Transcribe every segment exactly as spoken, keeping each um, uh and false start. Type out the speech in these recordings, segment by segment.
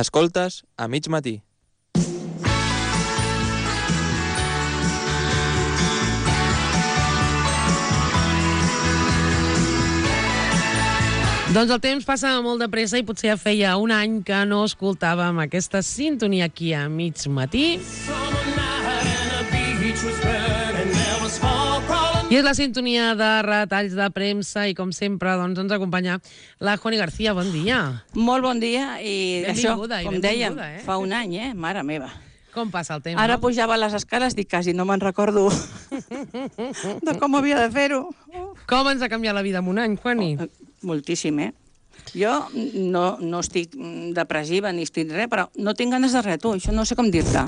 Escoltes a mig matí. Doncs el temps passa molt de pressa i potser ja feia un any que no escoltàvem aquesta sintonia aquí a mig matí. I és la sintonia de retalls de premsa i, com sempre, doncs, ens acompanya la Juani García. Bon dia. Molt bon dia i això, com dèiem, eh? fa un any, eh? Mare meva. Com passa el temps, Ara no? pujava les escales, dic, quasi no me'n recordo de com havia de fer-ho. Com ens ha canviat la vida en un any, Juani? Oh, moltíssim, eh? Jo no, no estic depressiva ni estic res, però no tinc ganes de res, tu, això no sé com dir-te.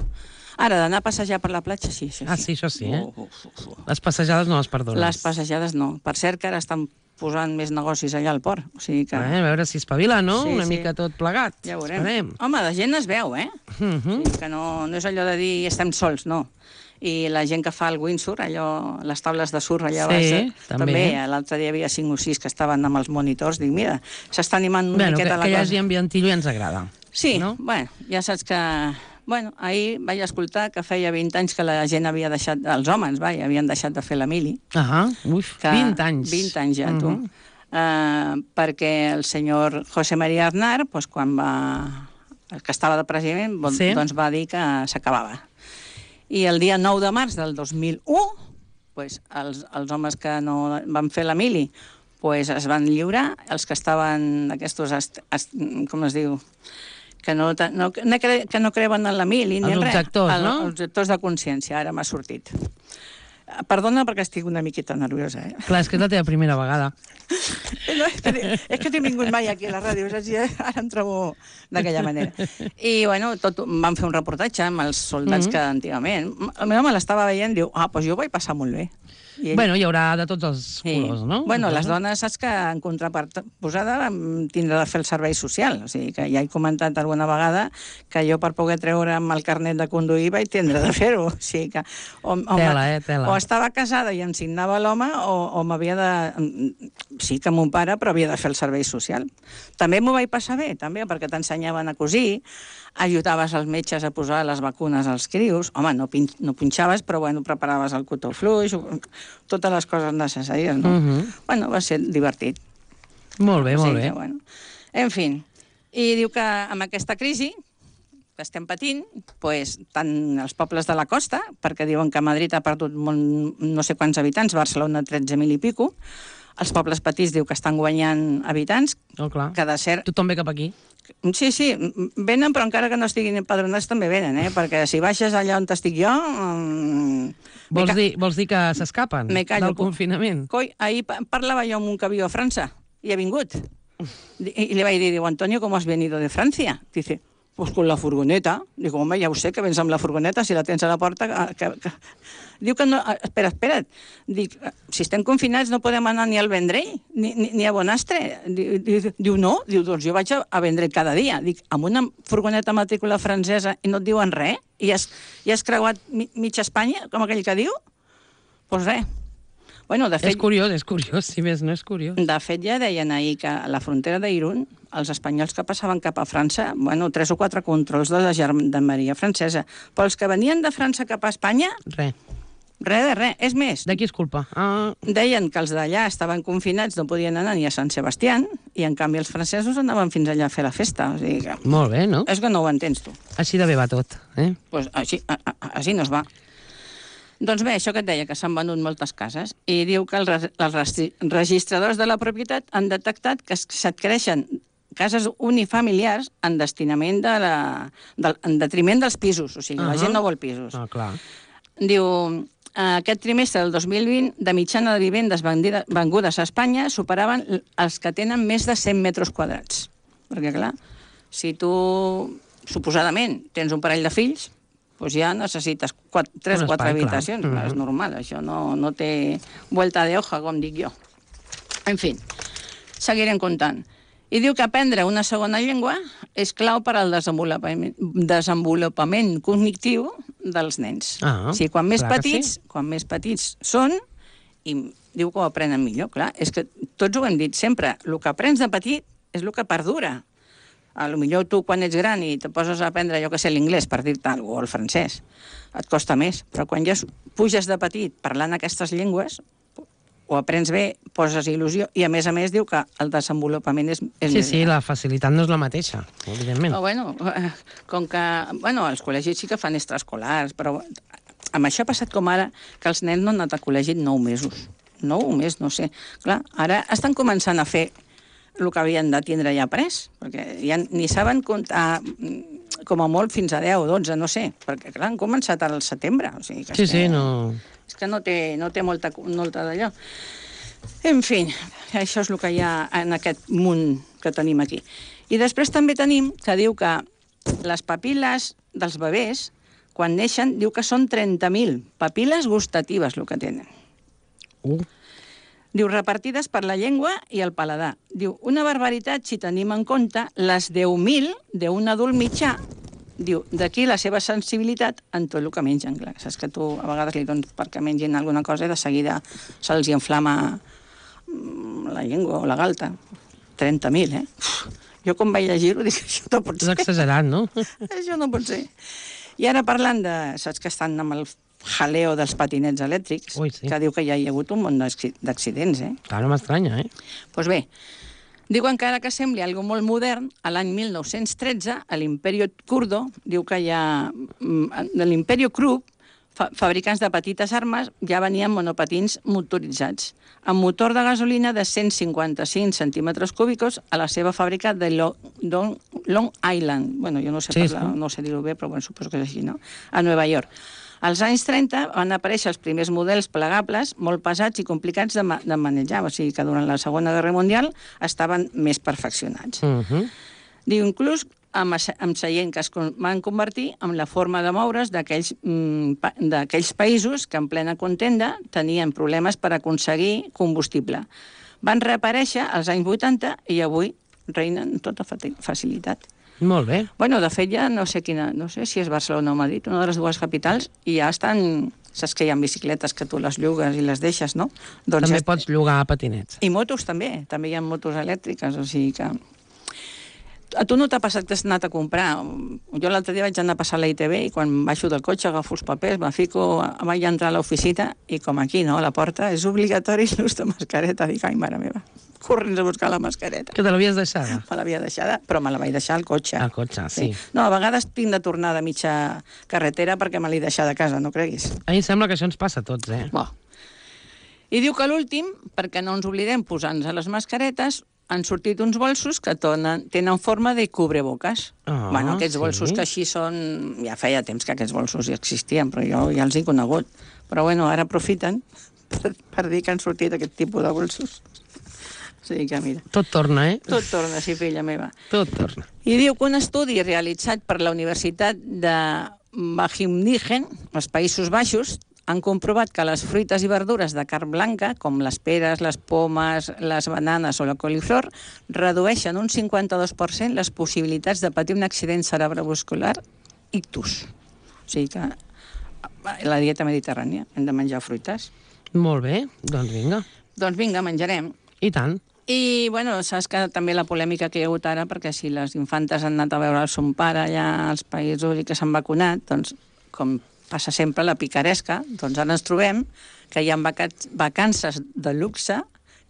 Ara, d'anar a passejar per la platja, sí, això sí. Ah, sí, això sí, eh? Oh, oh, oh, oh. Les passejades no les perdones. Les passejades no. Per cert, que ara estan posant més negocis allà al port. O sigui que... Eh, a veure si espavila, no? Sí, Una sí. mica tot plegat. Ja ho veurem. Esperem. Home, de gent es veu, eh? Uh -huh. O sigui que no, no és allò de dir estem sols, no. I la gent que fa el windsurf, allò, les taules de surf allà Sí, baix, també. també. L'altre dia hi havia cinc o sis que estaven amb els monitors. Dic, mira, s'està animant una Bueno, que, miqueta la que hi cosa. hagi ambientillo i ens agrada. Sí, no? bueno, ja saps que... Bueno, ahir vaig escoltar que feia vint anys que la gent havia deixat... Els homes, vai, havien deixat de fer la mili. Ah, uf, Que, vint anys. vint anys ja, tu. Uh -huh. Uh, perquè el senyor José María Aznar, pues, quan va... el que estava de president, bon, Sí. doncs va dir que s'acabava. I el dia nou de març del dos mil u, pues, els, els homes que no van fer la mili pues, es van lliurar, els que estaven aquests, est, est, com es diu, que no, no, que no creuen en la mili ni els en res. objectors, el, no? Els objectors de consciència, ara m'ha sortit. Perdona perquè estic una miqueta nerviosa, eh? Clar, és que és la teva primera vegada. No, és, que, és que no he vingut mai aquí a la ràdio, saps? Ara em trobo d'aquella manera. I, bueno, tot, van fer un reportatge amb els soldats Mm-hmm. que antigament... El meu home l'estava veient i diu, ah, doncs jo ho vaig passar molt bé. I ell... Bueno, hi haurà de tots els Sí. colors, no? Bueno, les dones, saps que en contraposada tindrà de fer el servei social. O sigui, que ja he comentat alguna vegada que jo per poder treure'm el carnet de conduir vaig tindre de fer-ho. O sigui que... O, o, Tela, eh, tela. O estava casada i em signava l'home o, o m'havia de... Sí que mon pare, però havia de fer el servei social. També m'ho vaig passar bé, també, perquè t'ensenyaven a cosir, ajudaves els metges a posar les vacunes als crios. Home, no, pin, no punxaves, però bueno, preparaves el cotó fluix, totes les coses necessàries, no? Uh -huh. Bueno, va ser divertit. Molt bé, molt Sí, bé. que, bueno. En fi, i diu que amb aquesta crisi que estem patint, pues, tant els pobles de la costa, perquè diuen que Madrid ha perdut molt, no sé quants habitants, Barcelona tretze mil i pico, els pobles petits diu que estan guanyant habitants, Oh, clar. que de ser... Tothom ve cap aquí. Sí, sí, venen, però encara que no estiguin empadronats també venen, eh? Perquè si baixes allà on estic jo... Mmm, Vols dir, vols dir que s'escapen Me callo. del confinament? Coi, ahir parlava jo amb un que viu a França i ha vingut. I, y le vaig dir, diu, Antonio, ¿cómo has venido de Francia? Dice, pues con la furgoneta. Digo, home, ja ho sé, que vens amb la furgoneta, si la tens a la porta... Que, que... Diu que no... Espera, espera't. Dic, si estem confinats no podem anar ni al Vendrell, ni, ni, ni a Bonastre. Diu, diu, no? Diu, doncs jo vaig a, a Vendrell cada dia. Dic, amb una furgoneta matrícula francesa i no et diuen res? I has, i has creuat mi, mitja Espanya, com aquell que diu? Doncs pues res. Bueno, de fet, És curiós, és curiós, si més no és curiós. de fet, ja deien ahir que a la frontera d'Irun, els espanyols que passaven cap a França, bueno, tres o quatre controls de la gendarmeria francesa, però els que venien de França cap a Espanya, Res. res de res. És més, De qui és culpa? Ah, deien que els d'allà estaven confinats, no podien anar ni a Sant Sebastián, i en canvi els francesos anaven fins allà a fer la festa. O sigui que... molt bé, no? És que no ho entens, tu. Així de bé va tot, eh? Pues així, a, a, així no es va. Doncs bé, això que et deia, que s'han venut moltes cases, i diu que els, els registradors de la propietat han detectat que s'adquireixen cases unifamiliars en destinament de la, de, en detriment dels pisos, o sigui, uh -huh. la gent no vol pisos. Ah, clar. Diu, aquest trimestre del dos mil vint, de mitjana de vivendes vendides, vengudes a Espanya superaven els que tenen més de cent metres quadrats. Perquè, clar, si tu, suposadament, tens un parell de fills, doncs ja necessites quatre, tres o quatre habitacions. Clar. És normal, això no, no té vuelta de hoja, com dic jo. En fi, seguirem comptant. I diu que aprendre una segona llengua és clau per al desenvolupament, desenvolupament cognitiu dels nens. Ah, o sigui, quan més clar que petits, sí. quan més petits són, i diu que ho aprenen millor, clar. És que tots ho hem dit sempre, el que aprens de petit és el que perdura. A lo millor tu, quan ets gran i te poses a aprendre, jo que sé, l'inglès, per dir-te alguna cosa, o el francès, et costa més. Però quan ja puges de petit parlant aquestes llengües, ho aprens bé, poses il·lusió, i a més a més diu que el desenvolupament és, és Sí, més sí, gran. la facilitat no és la mateixa, evidentment. Però, bueno, eh, com que... Bueno, els col·legis sí que fan extraescolars, però amb això ha passat com ara, que els nens no han anat a col·legi nou mesos. Nou mesos, no sé. Clar, ara estan començant a fer el que havien de tindre ja pres, perquè ja ni saben comptar com a molt fins a deu, dotze, no sé, perquè clar, han començat al setembre. O sigui que Sí, és sí, que, no... És que no té, no té molta, molta d'allò. En fi, això és el que hi ha en aquest munt que tenim aquí. I després també tenim que diu que les papil·les dels bebès, quan neixen, diu que són trenta mil papil·les gustatives el que tenen. Uh. Diu, repartides per la llengua i el paladar. Diu, una barbaritat si tenim en compte les deu mil d'un adult mitjà. Diu, d'aquí la seva sensibilitat en tot el que mengen. Clar, saps que tu a vegades li dones perquè mengin alguna cosa i de seguida se'ls inflama la llengua o la galta. trenta mil, eh? Jo quan vaig llegir-ho dic, això no pot És ser. exagerat, no? Això no pot ser. I ara parlant de... Saps que estan amb el jaleo dels patinets elèctrics, Ui, sí. que diu que ja hi ha hagut un munt d'acci- d'accidents, eh? Clar, no m'estranya, eh? Doncs pues bé, diu encara que sembli algo molt modern, a l'any mil nou-cents tretze, a l'Imperio Kurdo, diu que hi ha... De l'Imperio Krupp, fa fabricants de petites armes, ja venien monopatins motoritzats, amb motor de gasolina de cent cinquanta-cinc centímetres cúbicos a la seva fàbrica de Lo Long, Long Island. Bueno, jo no sé, Sí, parlar, sí. no sé dir-ho bé, però bueno, suposo que és així, no? A Nova York. Als anys trenta van aparèixer els primers models plegables, molt pesats i complicats de, ma de manejar, o sigui que durant la Segona Guerra Mundial estaven més perfeccionats. Uh -huh. Diu, inclús amb, amb seient que es van convertir en la forma de moure's d'aquells mm, pa d'aquells països que en plena contenda tenien problemes per aconseguir combustible. Van reaparèixer als anys vuitanta i avui reinen amb tota facilitat. Molt bé. Bueno, de fet, ja no sé quina, no sé si és Barcelona o Madrid, una de les dues capitals, i ja estan... Saps que hi ha bicicletes que tu les llogues i les deixes, no? Doncs També ja... pots llogar patinets. I motos també, també hi ha motos elèctriques, o sigui que... A tu no t'ha passat que has anat a comprar? Jo l'altre dia vaig anar a passar a la I T V i quan baixo del cotxe agafo els papers, me fico, vaig entrar a l'oficina i com aquí, no?, a la porta, és obligatori l'ús de mascareta. Dic, ai, mare meva, corrents a buscar la mascareta. Que te l'havies deixada? Me l'havia deixada, però me la vaig deixar al cotxe. Al cotxe, sí. No, a vegades tinc de tornar de mitja carretera perquè me l'he deixat a casa, no creguis. A mi em sembla que això ens passa a tots, eh? Bo. I diu que l'últim, perquè no ens oblidem posar-nos a les mascaretes, han sortit uns bolsos que tonen, tenen forma de cubreboques. Ah, bueno, aquests sí. bolsos que així són... Ja feia temps que aquests bolsos ja existien, però jo ja els he conegut. Però bueno, ara aprofiten per, per dir que han sortit aquest tipus de bolsos. O sigui que mira... Tot torna, eh? Tot torna, sí, filla meva. Tot torna. I diu que un estudi realitzat per la Universitat de Wageningen, als Països Baixos, han comprovat que les fruites i verdures de carn blanca, com les peres, les pomes, les bananes o la coliflor, redueixen un cinquanta-dos per cent les possibilitats de patir un accident cerebrovascular ictus. O sigui que la dieta mediterrània, hem de menjar fruites. Molt bé, doncs vinga. Doncs vinga, menjarem. I tant. I, bueno, saps que també la polèmica que hi ha hagut ara, perquè si les infantes han anat a veure el son pare allà als països i que s'han vacunat, doncs, com passa sempre la picaresca, doncs ara ens trobem que hi ha vacances de luxe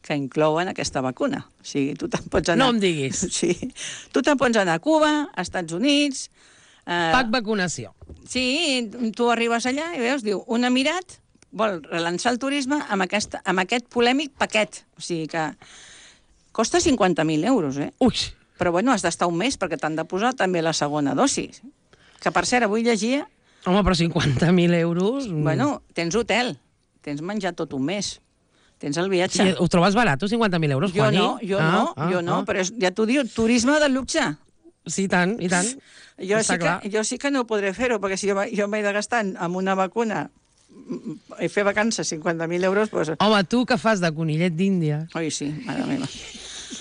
que inclouen aquesta vacuna. O sigui, tu te'n pots anar... No em diguis. Sí. Tu te'n pots anar a Cuba, a Estats Units... Eh... Pac vacunació. Sí, tu arribes allà i veus, diu, un emirat vol relançar el turisme amb, aquesta, amb aquest polèmic paquet. O sigui que costa cinquanta mil euros, eh? Ui! Però, bueno, has d'estar un mes perquè t'han de posar també la segona dosis. Que, per cert, avui llegia... Home, però cinquanta mil euros... Bueno, tens hotel, tens menjar tot un mes, tens el viatge. I ho trobes barat, cinquanta mil euros, Jo Juani? no, jo ah, no, ah, jo no, ah. però és, ja t'ho diu, turisme de luxe. Sí, i tant, i tant. Jo sí, Està clar. que, jo sí que no podré fer-ho, perquè si jo, jo m'he de gastar amb una vacuna i fer vacances cinquanta mil euros, doncs... Home, tu que fas de conillet d'Índia? Oi, sí, mare meva.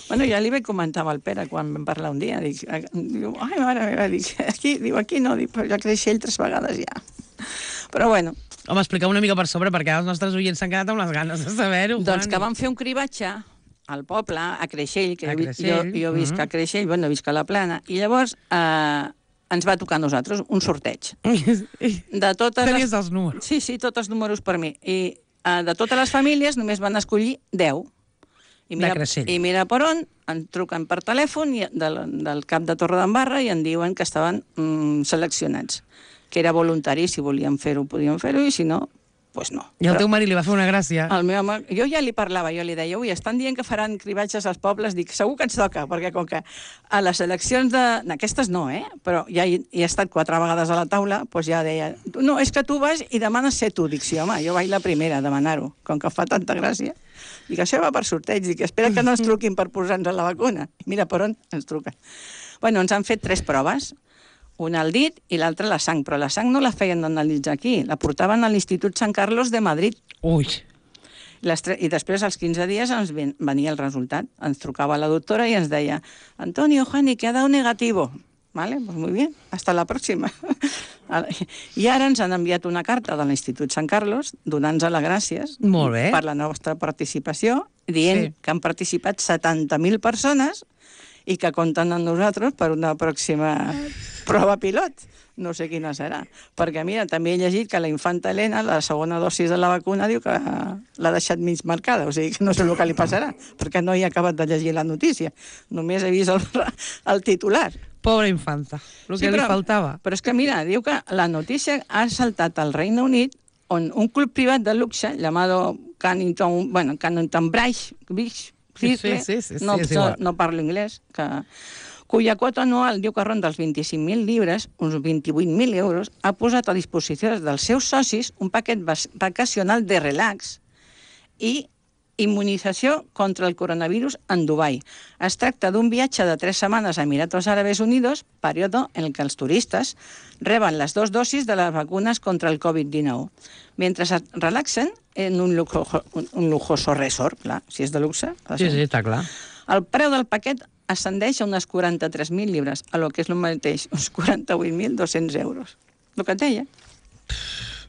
Bueno, ja li vaig comentar amb el Pere quan vam parlar un dia. Dic, diu, ai, mare meva, dic, aquí, diu, aquí no, dic, però ja creix ell tres vegades ja. Però bueno. Home, explica una mica per sobre, perquè els nostres oients s'han quedat amb les ganes de saber-ho. Doncs que vam fer un cribatge al poble, a Creixell, que A jo, Creixell, jo visc mhm. a Creixell, bueno, visc a la Plana, i llavors eh, ens va tocar a nosaltres un sorteig. De totes Tenies les... els números. Sí, sí, tots els números per mi. I eh, de totes les famílies només van escollir deu. I mira, De Creixell. I mira per on, en truquen per telèfon i del, del cap de Torredembarra i en diuen que estaven mm, seleccionats, que era voluntari, si volien fer-ho podien fer-ho i si no, doncs no. I al Però teu marit li va fer una gràcia. el meu home, jo ja li parlava, jo li deia, ui, estan dient que faran cribatges als pobles, dic, segur que ens toca, perquè com que a les eleccions de... Aquestes no, eh? Però ja hi, hi he estat quatre vegades a la taula, doncs ja deia, no, és que tu vas i demanes ser tu. Dic, sí, home, jo vaig la primera a demanar-ho, com que fa tanta gràcia. Dic, això va per sorteig, dic, espera que no ens truquin per posar-nos la vacuna. I mira per on ens truquen. Bueno, ens han fet tres proves, una al dit i l'altra a la sang, però la sang no la feien analitzar aquí, la portaven a l'Institut Sant Carlos de Madrid. Ui. Les tre... I després, als quinze dies, ens ven... venia el resultat. Ens trucava la doctora i ens deia, Antonio, Juani, que ha dado negativo. Vale, pues muy bien, hasta la próxima. I ara ens han enviat una carta de l'Institut Sant Carlos donant-nos les gràcies Molt bé. per la nostra participació, dient Sí. que han participat setanta mil persones i que compten amb nosaltres per una pròxima prova pilot. No sé quina serà. Perquè, mira, també he llegit que la infanta Helena, la segona dosis de la vacuna, diu que l'ha deixat mig marcada, o sigui que no sé el que li passarà, perquè no he acabat de llegir la notícia. Només he vist el, el titular. Pobra infanta, el que Sí, li però- faltava. Però és que, mira, diu que la notícia ha saltat al Regne Unit, on un club privat de luxe, llamado Cannington, bueno, Cannington Bridge, Beach, Sí, sí, sí, sí, no, sí, és igual. no parlo anglès, que, cuya quota anual diu que ronda els vint-i-cinc mil llibres, uns vint-i-vuit mil euros, ha posat a disposició dels seus socis un paquet vas- vacacional de relax i immunització contra el coronavirus en Dubai. Es tracta d'un viatge de tres setmanes a Emiratos Árabes Unidos, període en el que els turistes reben les dues dosis de les vacunes contra el covid dinou, mentre es relaxen en un, lujo, un, un lujoso resort, clar, si és de luxe. ha de Sí, ser. sí, està clar. El preu del paquet ascendeix a unes quaranta-tres mil llibres, a lo que és el mateix, uns quaranta-vuit mil dos-cents euros. El que et deia.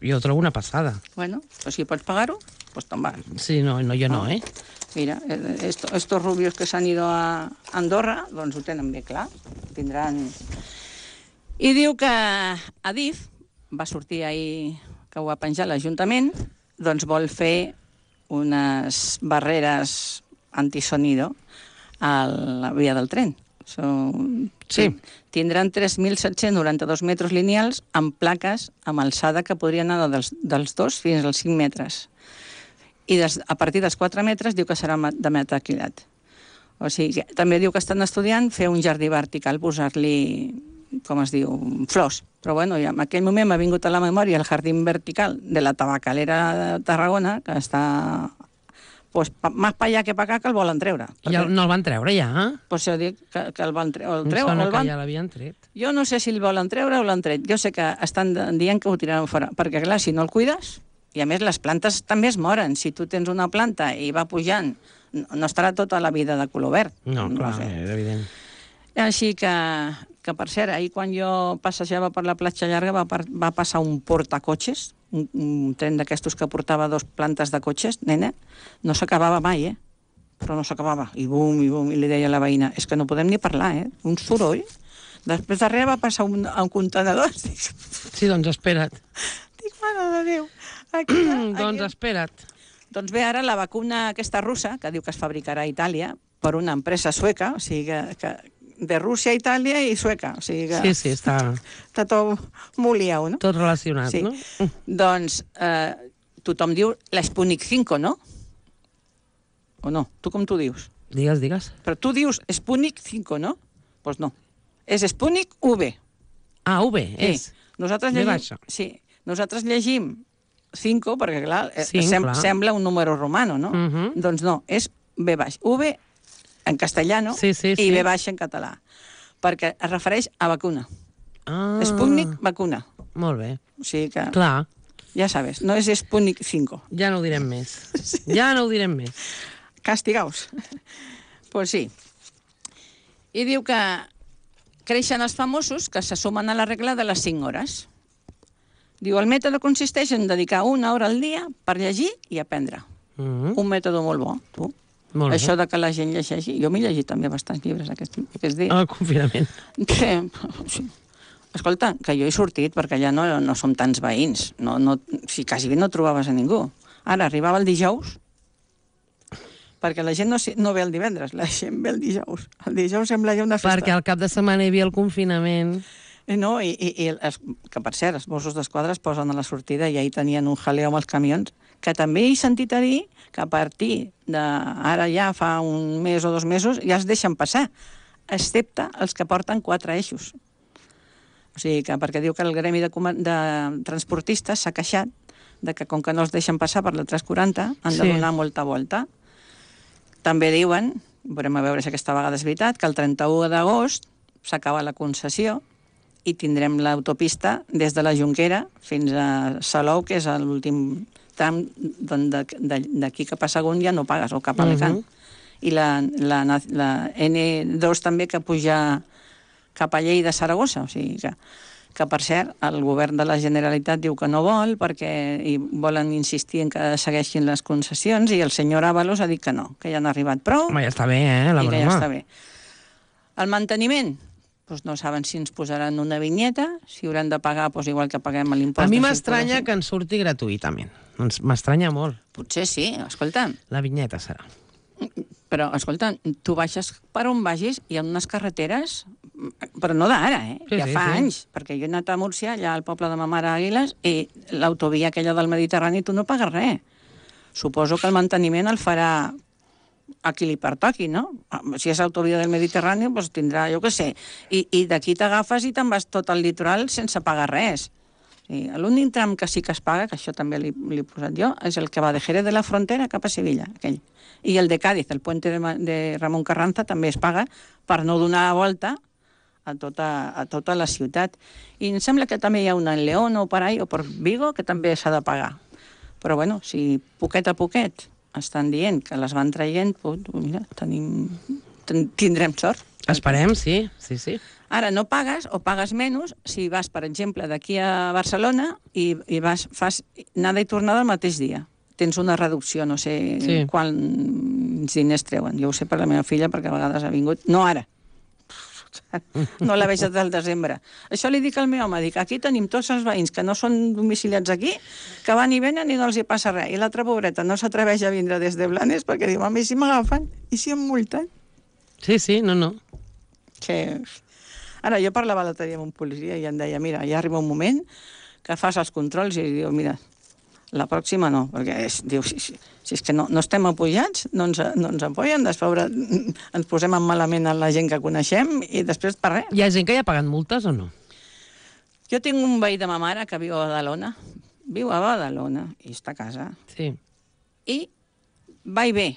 Jo ho trobo una passada. Bueno, pues si pots pagar-ho, pues te'n vas. Sí, no, no jo no, eh? Mira, eh, esto, estos rubios que s'han ido a Andorra, doncs ho tenen bé clar. Tindran... I diu que Adif va sortir ahir, que ho va penjar l'Ajuntament, doncs vol fer unes barreres antisonido a la via del tren. Són... Sí. Tindran tres mil set-cents noranta-dos metres lineals amb plaques amb alçada que podrien anar dels, dels dos fins als cinc metres. I des, a partir dels quatre metres diu que serà ma- de metacrilat. O sigui, que també diu que estan estudiant fer un jardí vertical, posar-li, com es diu, flors. Però bueno, ja en aquell moment m'ha vingut a la memòria el jardí vertical de la tabacalera de Tarragona, que està pues, pa, més pa allà que pa acá, que el volen treure. I el, no el van treure ja, eh? Pues jo dic que, que el van treure. El Em treu, sona el que van... ja l'havien tret. Jo no sé si el volen treure o l'han tret. Jo sé que estan dient que ho tiraran fora. Perquè, clar, si no el cuides, i a més les plantes també es moren. Si tu tens una planta i va pujant, no, no estarà tota la vida de color verd. No, clar, sé. és evident. Així que, que, per cert, ahir quan jo passejava per la platja llarga va, par, va passar un portacotxes, un, un tren d'aquestos que portava dos plantes de cotxes, nena, no s'acabava mai, eh? Però no s'acabava. I bum, i bum, i li deia a la veïna, és que no podem ni parlar, eh? Un soroll. Després darrere va passar un, un contenedor. Dic, Sí, doncs espera't. dic mare de Déu. Aquí, aquí. Doncs espera't. Doncs bé, ara la vacuna aquesta russa, que diu que es fabricarà a Itàlia per una empresa sueca, o sigui que, que de Rússia, Itàlia i sueca, o sigui que Sí, sí, està està tot molt liau, no? tot relacionat, Sí. no? Doncs eh, tothom diu la Sputnik cinc, no? O no? Tu com tu dius? Digues, digues. Però tu dius Sputnik cinc, no? Doncs pues no. És Sputnik V. Ah, U B, és. Sí. Nosaltres V llegim... baixa. Sí. Nosaltres llegim cinc, perquè, clar, eh, Cinc, sem clar. sembla un número romano, no? Mhm. Doncs no, és V baix. V en castellano Sí, sí, i sí. V baixa en català. Perquè es refereix a vacuna. Ah, Sputnik, vacuna. Molt bé. O sigui que, Clar, ja sabes, no és Sputnik cinc. ja no ho direm més. Ja no ho direm més. Castigaos. Pues sí. I diu que creixen els famosos que se sumen a la regla de les cinc hores. Diu, el mètode consisteix en dedicar una hora al dia per llegir i aprendre. Mm -hmm. Un mètode molt bo, tu. Molt bé. Això de que la gent llegeixi... Jo m'he llegit també bastants llibres aquests, aquests dies. El confinament. Sí, sí. Escolta, que jo he sortit perquè allà no, no som tants veïns. No, no, si quasi bé no trobaves a ningú. Ara arribava el dijous, perquè la gent no, no ve el divendres, la gent ve el dijous. El dijous sembla ja una festa. Perquè al cap de setmana hi havia el confinament. No, i, i, i els, que per cert, els Mossos d'Esquadra es posen a la sortida i ahir tenien un jaleo amb els camions, que també he sentit a dir que a partir d'ara ja fa un mes o dos mesos ja es deixen passar, excepte els que porten quatre eixos. O sigui, que perquè diu que el gremi de, de transportistes s'ha queixat de que com que no els deixen passar per la tres quaranta han de Sí. donar molta volta. També diuen, veurem a veure si aquesta vegada és veritat, que el trenta-u d'agost s'acaba la concessió i tindrem l'autopista des de la Jonquera fins a Salou, que és l'últim tram d'aquí cap a Sagunt ja no pagues, o cap a Alacant. Uh -huh. I la, la, la ene dos també que puja cap a Lleida, Saragossa, o sigui que, que per cert, el govern de la Generalitat diu que no vol perquè i volen insistir en que segueixin les concessions i el senyor Ábalos ha dit que no, que ja han arribat prou. Home, ja està bé, eh, la i broma. que ja està bé. El manteniment, doncs no saben si ens posaran una vinyeta, si hauran de pagar doncs igual que paguem l'impost. A mi de m'estranya circulació. que ens surti gratuïtament. Ens- M'estranya molt. Potser sí, escolta, La vinyeta serà. però escolta, tu baixes per on vagis, hi ha unes carreteres, però no d'ara, eh? Sí, ja sí, fa sí. anys, perquè jo he anat a Múrcia, allà al poble de ma mare Àguiles, i l'autovia aquella del Mediterrani tu no pagues res. Suposo que el manteniment el farà a qui li pertoqui, no? Si és autovia del Mediterrani, doncs tindrà, jo què sé, i, i d'aquí t'agafes i te'n vas tot al litoral sense pagar res. Sí, l'únic tram que sí que es paga, que això també li, li he posat jo, és el que va de Jerez de la Frontera cap a Sevilla, aquell. I el de Cádiz, el puente de, de Ramon Carranza, també es paga per no donar la volta a tota, a tota la ciutat. I em sembla que també hi ha una en León o per ahí, o per Vigo, que també s'ha de pagar. Però bueno, si poquet a poquet estan dient que les van traient, doncs, mira, tenim, ten, tindrem sort. Esperem, sí, sí, sí. Ara no pagues o pagues menys si vas, per exemple, d'aquí a Barcelona i, i vas, fas anada i tornada el mateix dia. Tens una reducció, no sé Sí. quants diners treuen. Jo ho sé per la meva filla, perquè a vegades ha vingut... No ara. No la veig des del desembre. Això li dic al meu home, dic, aquí tenim tots els veïns que no són domiciliats aquí, que van i venen i no els hi passa res. I l'altra pobreta no s'atreveix a vindre des de Blanes perquè diu, mami, si m'agafen i si em multen? Sí, sí, no, no. Que... Ara, jo parlava l'altre dia amb un policia i em deia, mira, ja arriba un moment que fas els controls i diu, mira, la pròxima no, perquè és, diu, si, si, si és que no, no estem apujats, no ens, no ens apoyen, després ens posem en malament a la gent que coneixem i després per res. Hi ha gent que ja ha pagat multes o no? Jo tinc un veí de ma mare que viu a Badalona, viu a Badalona i està a casa, Sí. i va i ve.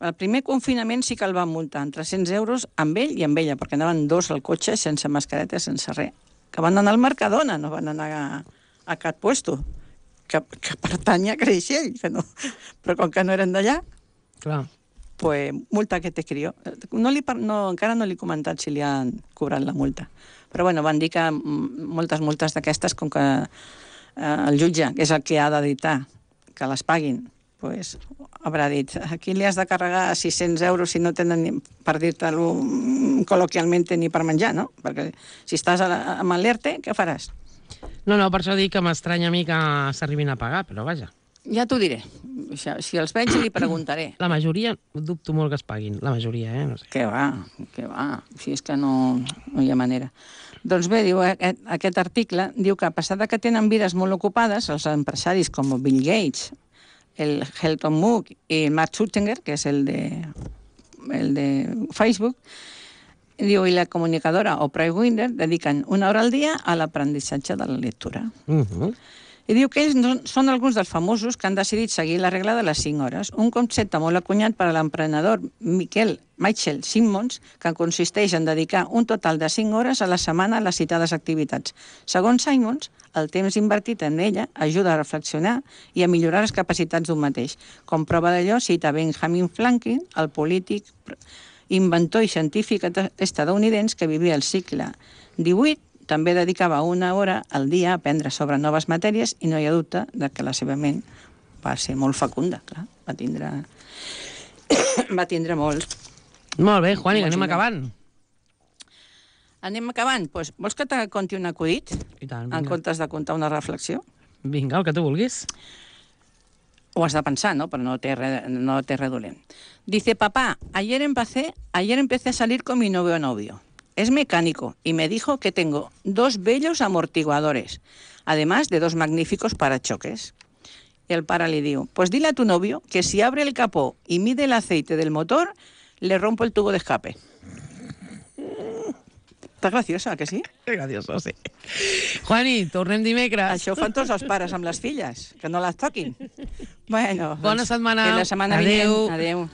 El primer confinament sí que el van multar en tres-cents euros amb ell i amb ella, perquè anaven dos al cotxe sense mascareta, sense res. Que van anar al Mercadona, no van anar a, a cap puesto, que, que pertany a Creixell, que no. Però com que no eren d'allà, Clar. pues, multa que te crió. No li, par- no, encara no li he comentat si li han cobrat la multa. Però bueno, van dir que mm, moltes multes d'aquestes, com que eh, el jutge, que és el que ha d'editar, que les paguin, pues, haurà dit, aquí li has de carregar sis-cents euros si no tenen, ni, per dir-te-lo col·loquialment, ni per menjar, no? Perquè si estàs a la, amb l'ERTE, què faràs? No, no, per això dic que m'estranya a mi que s'arribin a pagar, però vaja. Ja t'ho diré. Si els veig, li preguntaré. La majoria, dubto molt que es paguin. La majoria, eh? No sé. Què va, què va. Si és que no, no hi ha manera. Doncs bé, diu, aquest, aquest article diu que a pesar de que tenen vides molt ocupades, els empresaris com Bill Gates, el Helton Mook i Mark Zuckerberg, que és el de, el de Facebook, diu, i la comunicadora Oprah Winfrey dediquen una hora al dia a l'aprenentatge de la lectura. Uh -huh. I diu que ells no, són alguns dels famosos que han decidit seguir la regla de les cinc hores, un concepte molt acunyat per a l'emprenedor Michael, Michael Simmons, que consisteix en dedicar un total de cinc hores a la setmana a les citades activitats. Segons Simmons, el temps invertit en ella ajuda a reflexionar i a millorar les capacitats d'un mateix. Com prova d'allò, cita Benjamin Franklin, el polític, inventor i científic estadounidense que vivia al segle divuit, també dedicava una hora al dia a aprendre sobre noves matèries i no hi ha dubte de que la seva ment va ser molt fecunda, clar, va tindre... Va tindre molts. Molt bé, Juani, que Molts anem invents. acabant. Anem acabant? Pues, vols que te conti un acudit? I tant, En vinga. comptes de contar una reflexió? Vinga, el que tu vulguis. O has de pensar, ¿no? Pero no te, re, no te redolent. Dice, papá, ayer empecé, ayer empecé a salir con mi novio novio. Es mecánico y me dijo que tengo dos bellos amortiguadores, además de dos magníficos parachoques. Y el para le dijo, pues dile a tu novio que si abre el capó y mide el aceite del motor, le rompo el tubo de escape. Està graciosa, que sí? Que gracioso, sí. Juani, tornem dimecres. Això ho fan tots els pares amb les filles, que no les toquin. Bueno, Bona doncs, setmana. fins la setmana Adéu. vinent. Adéu.